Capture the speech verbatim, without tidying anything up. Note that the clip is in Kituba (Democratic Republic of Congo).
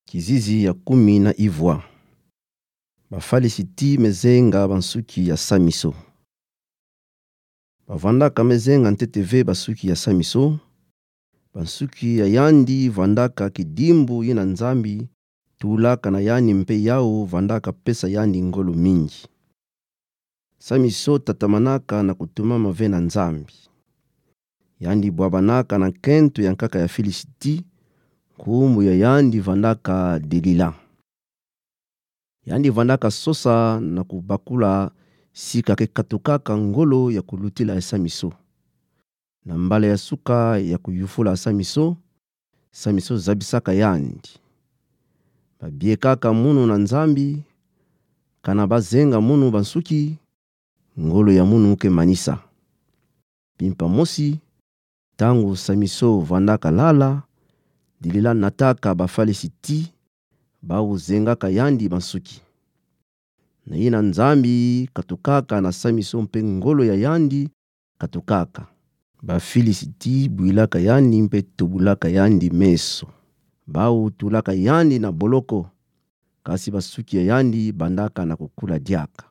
Kizizi ya kumi na ivwa. Bafalisiti mezenga bansuki ya Samiso. Bavandaka mezenga ntete ve bansuki ya Samiso. Bansuki ya yandi vandaka kidimbu ina Nzambi tulaka na yandi mpe yawu vandaka pesa yandi ngolo mingi. Samiso tatamanaka na kutumama ve na Nzambi. Yandi bwabanaka na nkento ya nkaka ya Filisiti, nkumbu ya yandi vandaka Delila. Yandi vandaka sosa na kubakula sika ke katukaka ngolo ya kulutila ya Samiso. Na mbala ya suka ya kuyufula Samiso, Samiso zabisaka yandi. Babiekaka munu na Nzambi, kana bazenga munu bansuki, ngolo ya munu ke manisa. Mpimpa mosi, ntangu Samiso vandaka lala, Delila nataka Bafalisiti, bawu zengaka yandi bansuki. Na ina Nzambi katukaka na Samiso mpe ngolo ya yandi katukaka. Bafilisitia bwilaka yandi mpe tubulaka yandi meso. Bawu tulaka yandi na boloko. Kasi basuki ya yandi bandaka na kukula diaka.